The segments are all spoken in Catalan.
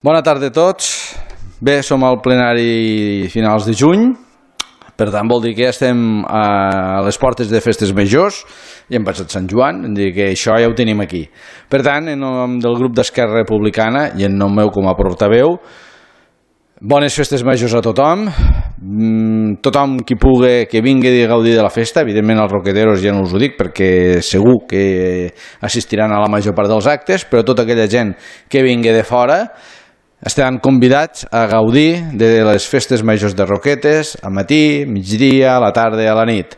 Bona tarda a tots. Bé, som al plenari finals de juny, per tant vol dir que ja estem a les portes de festes majors, ja hem passat Sant Joan, hem dit que això ja ho tenim aquí. Per tant, en nom del grup d'Esquerra Republicana i en nom meu com a portaveu, bones festes majors a tothom. Tothom qui pugui que vingui a gaudir de la festa, evidentment els roqueteros ja no us ho dic perquè segur que assistiran a la major part dels actes, però tota aquella gent que vingui de fora estaran convidats a gaudir de les festes majors de Roquetes al matí, migdia, a la tarda i a la nit.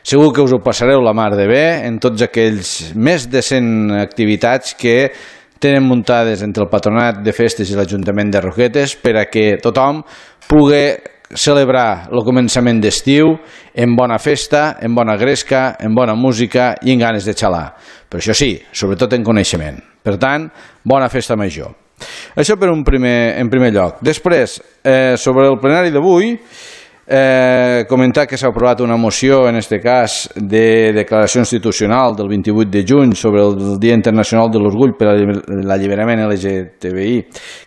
Segur que us ho passareu la mar de bé en tots aquells més de 100 activitats que tenen muntades entre el Patronat de Festes i l'Ajuntament de Roquetes per a que tothom pugui celebrar el començament d'estiu en bona festa, en bona gresca, en bona música i en ganes de xalar. Però això sí, sobretot en coneixement. Per tant, bona festa major. Això en primer lloc. Després, sobre el plenari d'avui, comentar que s'ha aprovat una moció, en aquest cas, de declaració institucional del 28 de juny sobre el Dia Internacional de l'Orgull per a l'Alliberament LGTBI,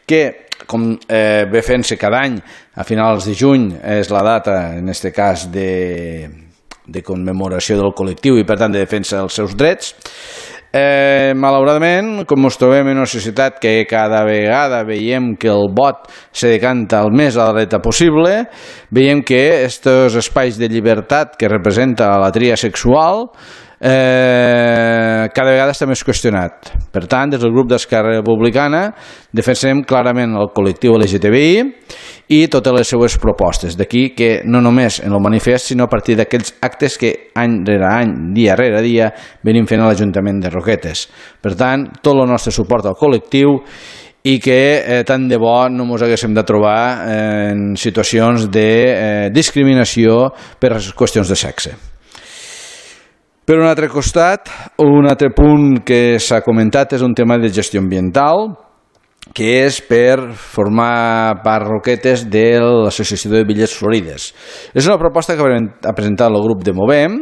que, com ve fent-se cada any, a finals de juny, és la data, en aquest cas, de commemoració del col·lectiu i, per tant, de defensa dels seus drets. Malauradament, com ens trobem en una societat que cada vegada veiem que el vot se decanta el més a la dreta possible, veiem que aquests espais de llibertat que representa la tria sexual cada vegada està més qüestionat. Per tant, des del grup d'Esquerra Republicana defensem clarament el col·lectiu LGTBI i totes les seues propostes. D'aquí que no només en el manifest, sinó a partir d'aquells actes que any rere any, dia rere dia, venim fent a l'Ajuntament de Roquetes. Per tant, tot el nostre suport al col·lectiu i que tant de bo no ens haguéssim de trobar en situacions de discriminació per qüestions de sexe. Per un altre costat, un altre punt que s'ha comentat és un tema de gestió ambiental, que és per formar part Roquetes de l'Associació de Illes Florides. És una proposta que ha presentat el grup de Movem,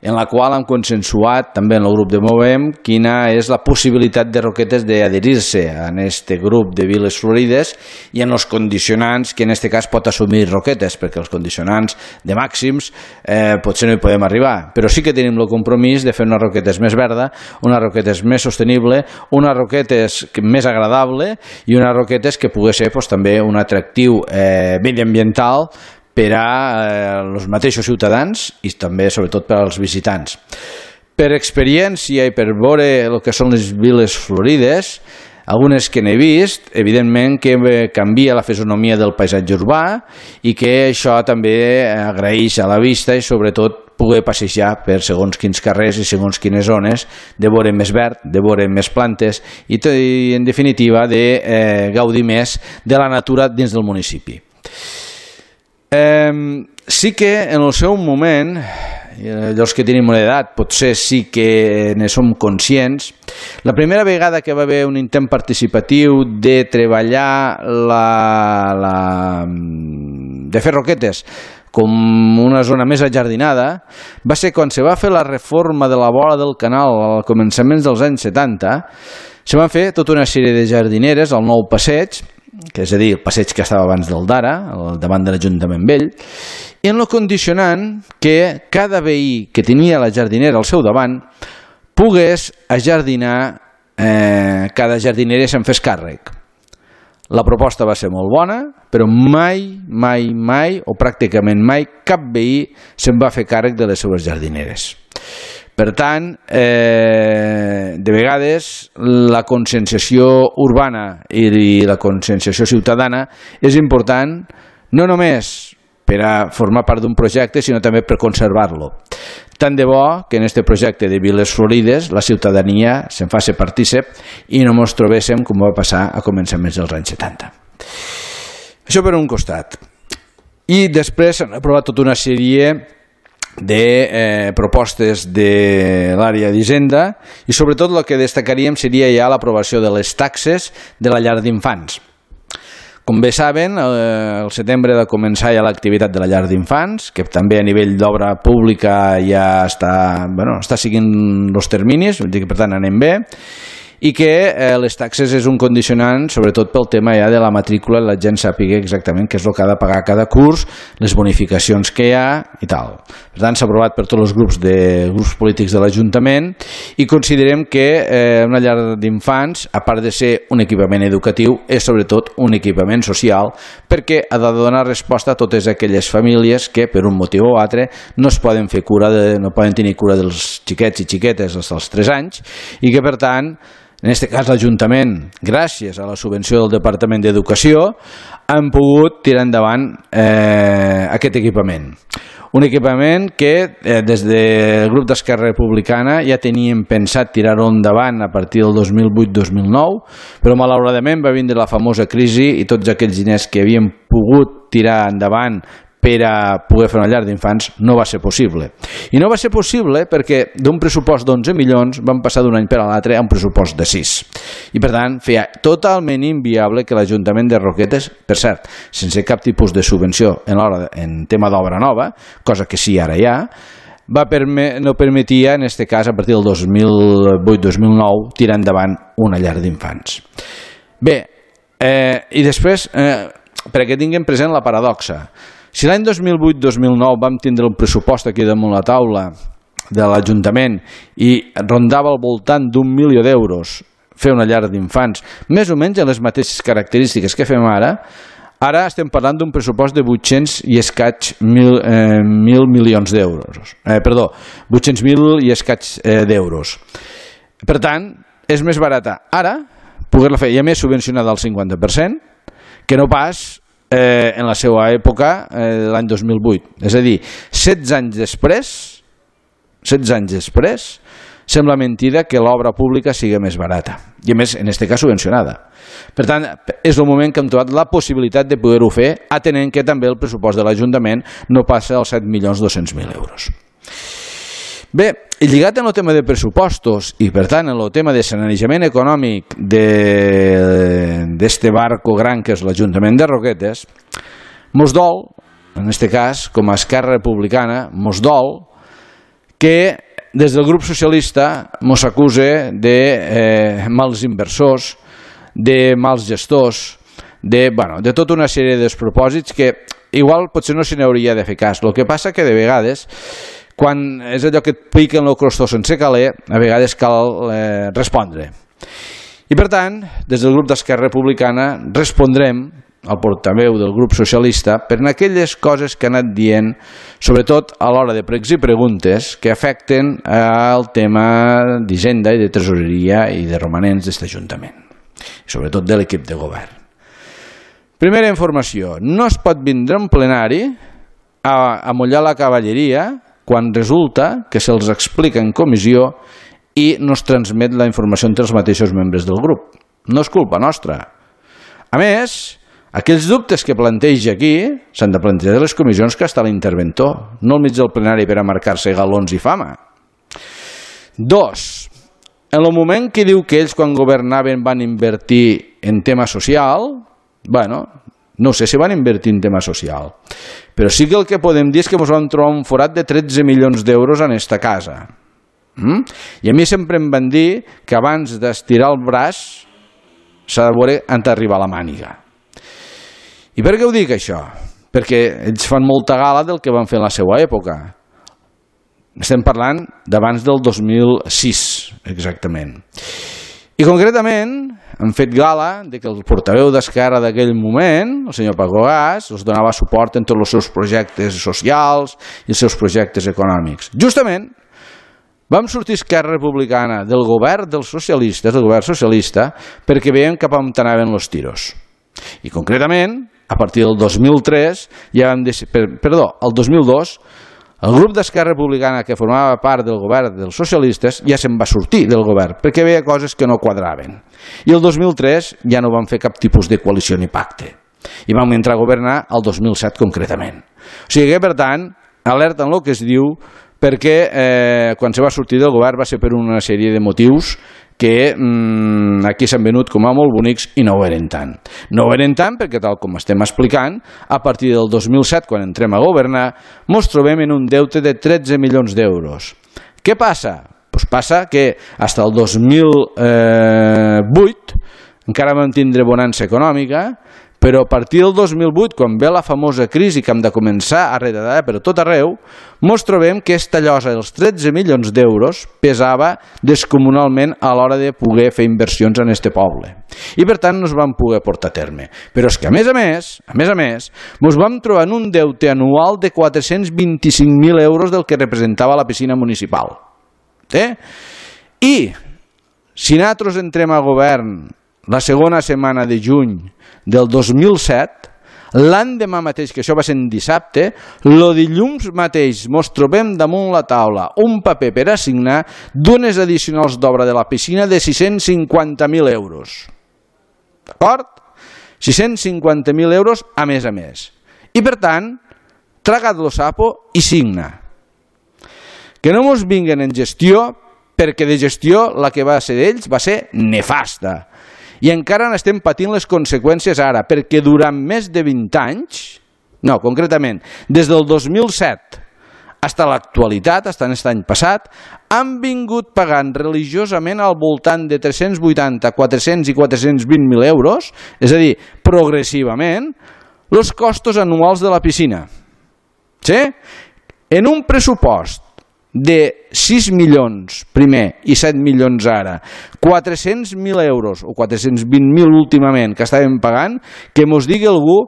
en la qual hem consensuat també en el grup de Movem quina és la possibilitat de Roquetes d'adherir-se a aquest grup de Viles Florides i en els condicionants que en aquest cas pot assumir Roquetes, perquè els condicionants de màxims potser no hi podem arribar, però sí que tenim el compromís de fer una Roquetes més verda, una Roquetes més sostenible, una Roquetes més agradable i una Roquetes que pugui ser també un atractiu mediambiental per a els mateixos ciutadans i també, sobretot, per als visitants. Per experiència i per veure el que són les Viles Florides, algunes que n'he vist, evidentment que canvia la fisonomia del paisatge urbà i que això també agraeix a la vista i, sobretot, poder passejar per segons quins carrers i segons quines zones, de veure més verd, de veure més plantes i, en definitiva, de gaudir més de la natura dins del municipi. Sí que en el seu moment, els que tenim una edat potser sí que ne som conscients, la primera vegada que va haver un intent participatiu de treballar de fer Roquetes com una zona més ajardinada va ser quan se va fer la reforma de la vora del canal al començaments dels anys 70. Se van fer tota una sèrie de jardineres al nou passeig, que és a dir, el passeig que estava abans del d'ara, davant de l'Ajuntament Vell, i en el condicionant que cada veí que tenia la jardinera al seu davant pogués ajardinar cada jardinera i se'n fes càrrec. La proposta va ser molt bona, però mai, o pràcticament mai, cap veí se'n va fer càrrec de les seues jardineres. Per tant, de vegades la conscienciació urbana i la conscienciació ciutadana és important no només per a formar part d'un projecte, sinó també per conservar-lo. Tant de bo que en aquest projecte de Viles Florides la ciutadania se'n faci partícip i no ens trobéssim com va passar a començaments dels anys 70. Això per un costat. I després s'han aprovat tota una sèrie de propostes de l'àrea d'Hisenda i sobretot el que destacaríem seria ja l'aprovació de les taxes de la llar d'infants. Com bé saben, al setembre ha de començar ja l'activitat de la llar d'infants, que també a nivell d'obra pública ja està seguint els terminis, per tant anem bé, i que les taxes és un condicionant sobretot pel tema ja de la matrícula, la gent sàpiga exactament què és el que ha de pagar cada curs, les bonificacions que hi ha i tal. Per tant, s'ha aprovat per tots els grups polítics de l'Ajuntament i considerem que una llar d'infants, a part de ser un equipament educatiu, és sobretot un equipament social perquè ha de donar resposta a totes aquelles famílies que per un motiu o altre no es poden fer no poden tenir cura dels xiquets i xiquetes dels 3 anys i que per tant en aquest cas l'Ajuntament, gràcies a la subvenció del Departament d'Educació, han pogut tirar endavant aquest equipament. Un equipament que des del grup d'Esquerra Republicana ja teníem pensat tirar-ho endavant a partir del 2008-2009, però malauradament va vindre la famosa crisi i tots aquells diners que havíem pogut tirar endavant per a poder fer una llar d'infants no va ser possible. I no va ser possible perquè d'un pressupost d'11 milions vam passar d'un any per a l'altre a un pressupost de 6. I per tant feia totalment inviable que l'Ajuntament de Roquetes, per cert, sense cap tipus de subvenció en tema d'obra nova, cosa que sí ara hi ha, no permetia, en aquest cas, a partir del 2008-2009, tirar endavant una llar d'infants. Bé, i després, perquè tinguem present la paradoxa, si l'any 2008-2009 vam tindre un pressupost aquí damunt la taula de l'Ajuntament i rondava al voltant d'1 milió d'euros fer una llar d'infants, més o menys en les mateixes característiques que fem ara estem parlant d'un pressupost de 800 i escaig mil milions d'euros. Perdó, 800.000 i escaig d'euros. Per tant, és més barata ara poder-la fer, i a més subvencionada al 50%, que no pas en la seva època, l'any 2008. És a dir, 16 anys després, sembla mentida que l'obra pública sigui més barata. I a més, en aquest cas, subvencionada. Per tant, és el moment que hem trobat la possibilitat de poder-ho fer, atenent que també el pressupost de l'Ajuntament no passa als 7.200.000 euros. Bé, i lligat en el tema de pressupostos i per tant en el tema de sanejament econòmic d'este barco gran que és l'Ajuntament de Roquetes, mos dol, en aquest cas, com a Esquerra Republicana, mos dol que des del grup socialista mos acuse de mals inversors, de mals gestors, de tota una sèrie de despropòsits que igual potser no se n'hauria de fer cas. El que passa que de vegades quan és allò que et piquen el crostó sense caler, a vegades cal respondre. I per tant, des del grup d'Esquerra Republicana respondrem al portaveu del grup socialista per aquelles coses que ha anat dient, sobretot a l'hora de pregs i preguntes que afecten al tema d'Hisenda i de Tresoreria i de romanents d'aquest Ajuntament, i sobretot de l'equip de govern. Primera informació, no es pot vindre en plenari a mullar la cavalleria quan resulta que se'ls explica en comissió i no es transmet la informació entre els mateixos membres del grup. No és culpa nostra. A més, aquells dubtes que planteja aquí s'han de plantejar a les comissions que està l'interventor, no al mig del plenari per a marcar-se galons i fama. 2. En el moment que diu que ells quan governaven van invertir en tema social, no sé si van invertir en tema social, però sí que el que podem dir és que ens vam trobar un forat de 13 milions d'euros en esta casa. I a mi sempre em van dir que abans d'estirar el braç s'ha de veure on arriba la màniga. I per què ho dic això? Perquè ells fan molta gala del que van fer en la seva època. Estem parlant d'abans del 2006, exactament. I concretament han fet gala de que el portaveu d'Esquerra d'aquell moment, el senyor Paco Gas, els donava suport en tots els seus projectes socials i els seus projectes econòmics. Justament vam sortir Esquerra Republicana del govern dels socialistes, del govern socialista, perquè veiem cap on anaven els tiros. I concretament, a partir del 2003, el 2002, el grup d'Esquerra Republicana que formava part del govern dels socialistes ja se'n va sortir del govern perquè veia coses que no quadraven. I el 2003 ja no van fer cap tipus de coalició ni pacte. I vam entrar a governar el 2007 concretament. O sigui que, per tant, alerta en el que es diu perquè quan se va sortir del govern va ser per una sèrie de motius que aquí s'han venut com a molt bonics i no ho eren tant. No ho eren tant perquè, tal com estem explicant, a partir del 2007, quan entrem a governar, ens trobem en un deute de 13 milions d'euros. Què passa? Doncs passa que fins al 2008 encara vam tindre bonança econòmica, però a partir del 2008, quan ve la famosa crisi que hem de començar a redar per tot arreu, ens trobem que aquesta llosa dels 13 milions d'euros pesava descomunalment a l'hora de poder fer inversions en este poble. I per tant no es van poder portar a terme. Però és que a més a més, ens vam trobar en un deute anual de 425.000 euros del que representava la piscina municipal. I si nosaltres entrem a govern la segona setmana de juny del 2007, l'endemà mateix, que això va ser en dissabte, el dilluns mateix ens trobem damunt la taula un paper per assignar d'unes addicionals d'obra de la piscina de 650.000 euros. D'acord? 650.000 euros a més a més. I per tant, traga't lo sapo i signa. Que no ens vinguen en gestió, perquè de gestió la que va ser d'ells va ser nefasta. I encara n'estem patint les conseqüències ara, perquè durant més de 20 anys, no, concretament, des del 2007 fins a l'actualitat, fins aquest any passat, han vingut pagant religiosament al voltant de 380, 400 i 420.000 euros, és a dir, progressivament, els costos anuals de la piscina. Sí? En un pressupost de 6 milions primer i 7 milions ara, 400.000 euros o 420.000 últimament que estàvem pagant, que mos digui algú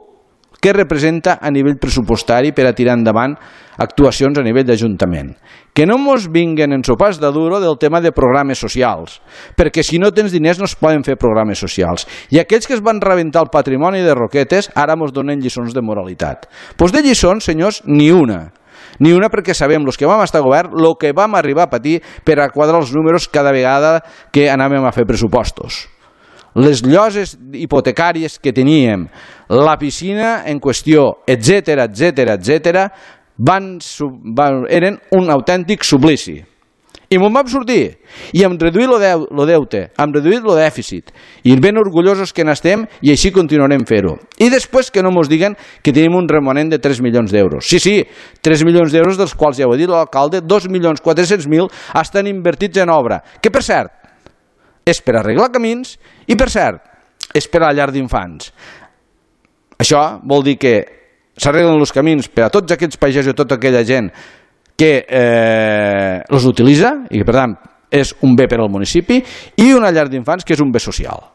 què representa a nivell pressupostari per a tirar endavant actuacions a nivell d'Ajuntament. Que no mos vinguen en sopars de duro del tema de programes socials, perquè si no tens diners no es poden fer programes socials. I aquells que es van rebentar el patrimoni de Roquetes ara mos donen lliçons de moralitat. Doncs de lliçons, senyors, ni una. Ni una, perquè sabem, els que vam estar a govern, el que vam arribar a patir per a quadrar els números cada vegada que anàvem a fer pressupostos. Les lloses hipotecàries que teníem, la piscina en qüestió, etc., eren un autèntic suplici. I m'ho vam sortir, i hem reduït el deute, hem reduït el dèficit, i ben orgullosos que n'estem, i així continuarem fer-ho. I després que no ens diguen que tenim un remanent de 3 milions d'euros. Sí, 3 milions d'euros, dels quals ja ho ha dit l'alcalde, 2.400.000 estan invertits en obra, que per cert, és per arreglar camins, i per cert, és per a la llar d'infants. Això vol dir que s'arreglen els camins per a tots aquests pagesos i tota aquella gent que els utilitza i que per tant és un bé per al municipi, i una llar d'infants que és un bé social.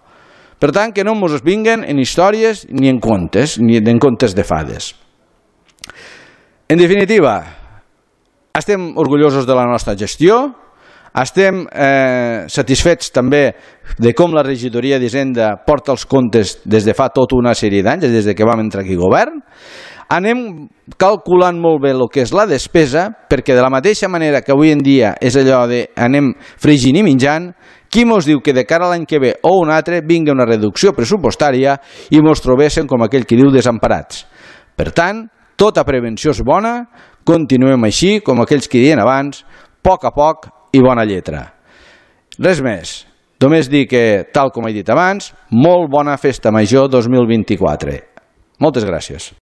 Per tant, que no ens vinguen en històries ni en contes de fades. En definitiva, estem orgullosos de la nostra gestió, estem satisfets també de com la regidoria d'Hisenda porta els comptes des de fa tota una sèrie d'anys, des que vam entrar aquí a govern. Anem calculant molt bé el que és la despesa, perquè de la mateixa manera que avui en dia és allò de anem fregint i menjant, qui mos diu que de cara a l'any que ve o un altre vingui una reducció pressupostària i mos trobéssim, com aquell que diu, desemparats. Per tant, tota prevenció és bona, continuem així, com aquells que diuen abans, a poc i bona lletra. Res més, només dir que, tal com he dit abans, molt bona festa major 2024. Moltes gràcies.